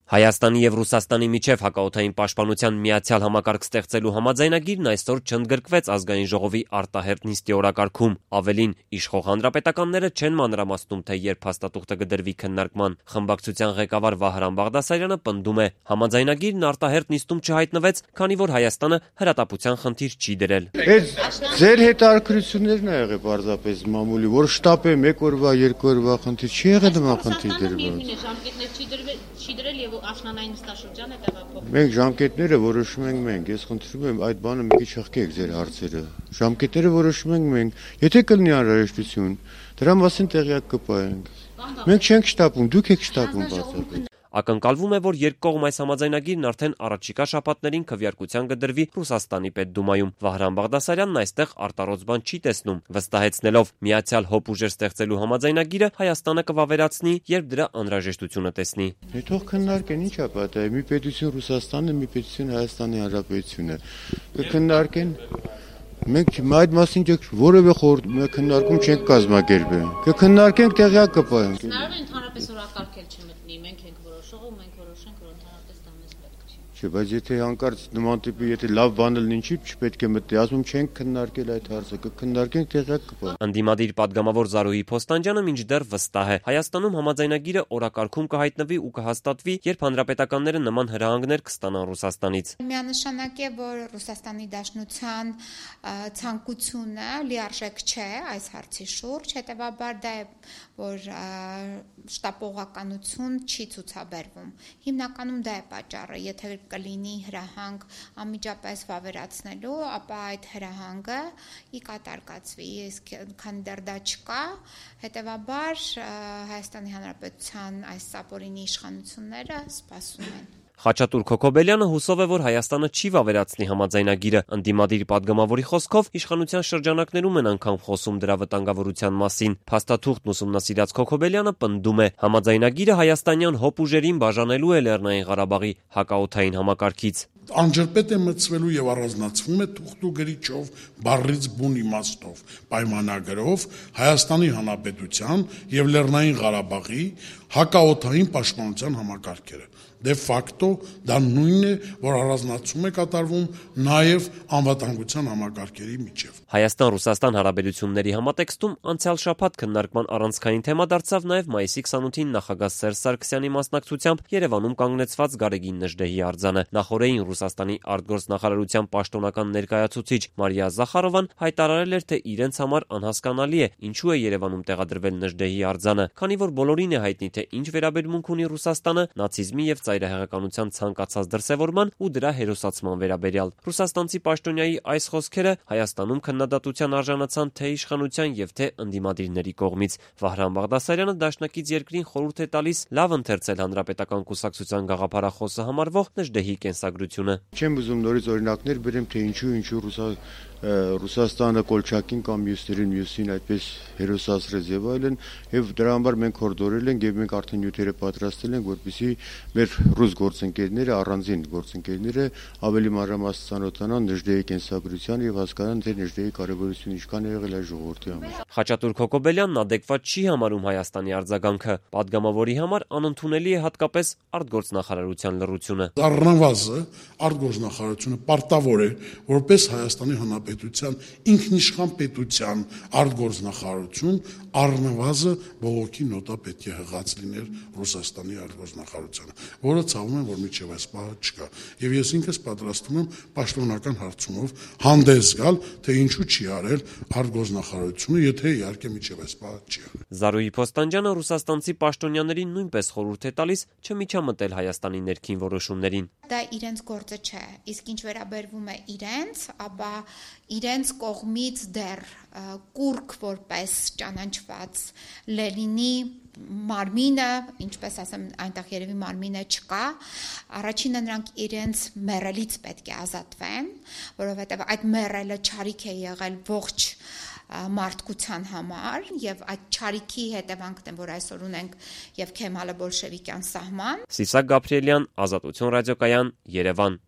Հայաստանի եւ Ռուսաստանի միջև հակաօդային պաշտպանության միացյալ համակարգ ստեղծելու համաձայնագիրն այսօր չընդգրկվեց ազգային ժողովի արտահերթ նիստի օրակարգում։ Ավելին, իշխող հանրապետականները չեն մանրամասնում, թե երբ փաստաթուղթը կդրվի քննարկման։ Խմբակցության ղեկավար Վահրամ Բաղդասարյանը պնդում է, համաձայնագիրն արտահերթ նիստում չհայտնվեց, քանի որ Հայաստանը հրատապության խնդիր չի դրել։ Ձեր հետաքրքրություններն ա եղել պարզապես մամուլի, որ շտապ է 1 օրվա, 2 օրվա խնդիր չի եղել նման խնդիր դրվել։ Չի դրել եւ աշնանային նստաշրջանը տեղափոխվել։ Մենք ժամկետները որոշում ենք մենք, ես խնդրում եմ այդ բանը մի քիչ հղկեք ձեր հարցերը։ Ժամկետները որոշում ենք մենք, եթե կլինի անհրաժեշտություն, դրա մասին տեղյակ կպահենք։ Մենք չենք շտապում, դուք եք շտապում բացառապես։ Ակնկալվում է, որ երկկողմ այս համաձայնագիրն արդեն առաջիկա շաբաթներին քվեարկության կդրվի Ռուսաստանի պետդումայում։ Վահրամ Բաղդասարյանն այստեղ արտառոց բան չի տեսնում, վստահեցնելով միացյալ հոբ ուժեր ստեղծելու համաձայնագիրը Հայաստանը կվավերացնի, երբ դրա անհրաժեշտությունը տեսնի։ Թող քննարկեն, ինչ ա պատահի, մի պետություն Ռուսաստանն է, մի պետություն Հայաստանի Հանրապետությունը։ Կքննարկեն։ Մենք այդ մասին որևէ քննարկում չենք կազմակերպել։ Կքննարկենք, տեղյակ կպահենք։ Հնարավոր է ընդհանրապես օրակարգել չմտնի, մենք ենք որոշող ու մենք որոշենք, որ ընդհանրապես դա մեզ պետք չի։ Չէ, բայց եթե հանկարծ նման տիպի, եթե լավ բան լինի, չպետք է մտնի, ասում չենք քննարկել այդ հարցը, կքննարկենք, տեղյակ կպահենք։ Ընդդիմադիր падգամավոր Զարուհի Փոստանջյանը մինչդեռ վստահ է, Հայաստանում համաձայնագիրը օրակարգում կհայտնվի ու կհաստատվի, երբ հանրապետականները նման հրահանգներ կստանան Ռուսաստանից։ Միանշանակ է, որ Ռուսաստանի Դաշնության ցանկությունը լիարժեք չէ այս հարցի շուրջ, հետևաբար դա է, որ շտապողականություն չի ցուցաբերվում։ Հիմնականում դա է պատճառը, եթե կլինի հրահանգ անմիջապես վավերացնելու, ապա այդ հրահանգը ի կատար կացվի, իսկ քանի դեռ դա չկա, հետևաբար Հայաստանի Հանրապետության այս սապորինի իշխանությունները սպասում են։ Խաչատուր Քոքոբելյանը հուսով է, որ Հայաստանը չի վավերացնի համաձայնագիրը։ Ընդդիմադիր падգամավորի խոսքով իշխանության շրջանակներում են անգամ խոսում դրա վտանգավորության մասին։ Փաստաթուղթն ուսումնասիրած Քոքոբելյանը պնդում է, համաձայնագիրը հայաստանյան հոբ ուժերին բաժանելու է Լեռնային Ղարաբաղի հակաօդային համակարգից։ Անջրպետ է մտցվելու եւ առանձնացվում է թուղթու գրիչով, բառից բուն իմաստով, պայմանագրով Հայաստանի Հանրապետության եւ Լեռնային Ղարաբաղի հակաօդային պաշտպանության համակարգերը։ Դե ֆակտո դա նույնն է, որ առանձնացում է կատարվում նաև անվտանգության համակարգերի միջև։ Հայաստան-Ռուսաստան հարաբերությունների համատեքստում անցյալ շաբաթ քննարկման առանցքային թեմա դարձավ նաև մայիսի 28-ին նախագահ Սերժ Սարգսյանի մասնակցությամբ Երևանում կանգնեցված Գարեգին Նժդեհի արձանը։ Նախորդին Ռուսաստանի արտգործնախարարության պաշտոնական ներկայացուցիչ Մարիա Զախարովան հայտարարել էր, թե իրենց համար անհասկանալի է, ինչու է Երևանում տեղադրվել Նժդեհի արձանը, քանի որ բոլորին է հայտնի, թե ինչ վերաբերմունք ունի Ռուսաստանը նացիզմի եւ ծայրահեղականության ցանկացած դրսևորման ու դրա հերոսացման վերաբերյալ։ Ռուսաստանցի պաշտոնյայի այս խոսքերը Հայաստանում քննադատության արժանացան թե իշխանության եւ թե ընդդիմադիրների կողմից։ Վահրամ Բաղդասարյանը դաշնակից երկրին խորհուրդ է տալիս լավ ընթերցել հանրապետական կուսակցության գաղափարախոսը համարվող Նժդեհի կենսագրությունը։ Չեմ ուզում նորից օրինակներ բերեմ, թե ինչու Ռուսաստանը Կոլչակին կամ մյուսին այդպես հերոսացրեց եւ այլն, եւ դրա համար մենք հորդորել ենք եւ մենք արդեն նյութերը պատրաստել ենք, որպեսզի մեր ռուս գործընկերները, առանձին գործընկերները ավելի մանրամասն ծանոթանան Նժդեհի կենսագրությանը եւ հասկանան, թե Նժդեհի կարեւորությունը ինչքան է եղել այս ժողովրդի համար։ Խաչատուր Քոքոբելյանն ադեկվատ չի համարում Հայաստանի արձագանքը։ Պատգամավորի համար անընդունելի է հատկապես արտգործնախարարության լռությունը։ Առնվազն արտգործնախարարությունը պարտավոր է որպես Հայաստանի Հանրապետության ինքնիշխան պետության արտգործնախարարություն առնվազն բողոքի նոտա պետք է հղած լիներ Ռուսաստանի արտգործնախարարությանը, որը ցավում եմ, որ միջև այս պահը չկա։ Եվ ես ինքս պատրաստվում եմ պաշտոնական հարցումով հանդես գալ, թե ինչու չի արել արտգործնախարարությունը, եթե իհարկե միջև այս պահը չի արել։ Զարուհի Փոստանջյանը ռուսաստանցի պաշտոնյաներին նույնպես խորհուրդ է տալիս չմիջամտել Հայաստանի ներքին որոշումներին։ Դա իրենց գործը չէ, իսկ ինչ վերաբերվում է իրենց, ապա իրենց կողմից դեռ կուրկ որպես ճանաչված Լենինի մարմինը, ինչպես ասեմ, այնտեղ երևի մարմինը չկա, առաջինը նրանք իրենց մեռելից պետք է ազատվեն, որովհետև այդ մեռելը չարիք է եղել ողջ մարդկության համար եւ այդ չարիքի հետևանքն է, որ այսօր ունենք եւ Քեմալը բոլշևիկյան սահման։ Սիսակ Գաբրիելյան, Ազատություն ռադիոկայան, Երևան։